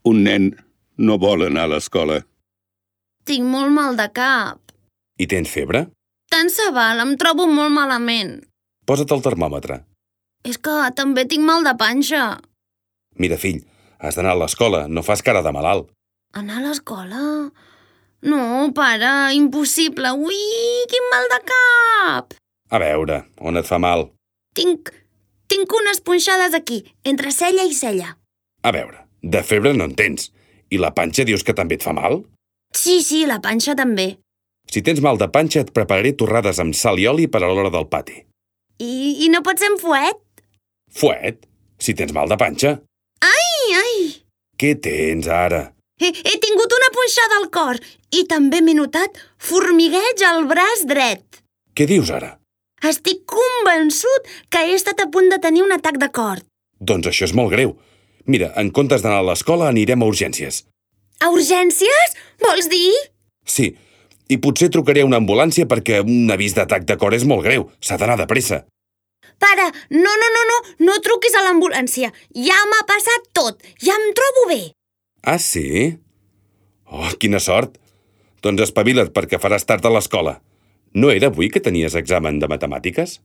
Un nen no vol anar a l'escola. Tinc molt mal de cap. I tens febre? Tant se val, em trobo molt malament. Posa't el termòmetre. És que també tinc mal de panxa. Mira, fill, has d'anar a l'escola, no fas cara de malalt. Anar a l'escola? No, pare, impossible. Ui, quin mal de cap! A veure, on et fa mal? Tinc unes punxades aquí, entre cella i cella. A veure, de febre no en tens. I la panxa dius que també et fa mal? Sí, la panxa també. Si tens mal de panxa et prepararé torrades amb sal i oli per a l'hora del pati. I no pot ser amb fuet? Fuet? Si tens mal de panxa? Ai! Què tens ara? He tingut una punxada al cor i també m'he notat formigueig al braç dret. Què dius ara? Estic convençut que he estat a punt de tenir un atac de cor. Doncs això és molt greu. Mira, en comptes d'anar a l'escola anirem a urgències. A urgències? Vols dir? Sí, i potser trucaré a una ambulància perquè un avís d'atac de cor és molt greu. S'ha d'anar de pressa. Pare, no truquis a l'ambulància. Ja m'ha passat tot. Ja em trobo bé. Ah, sí? Oh, quina sort. Doncs espavila't perquè faràs tard a l'escola. No era avui que tenies examen de matemàtiques?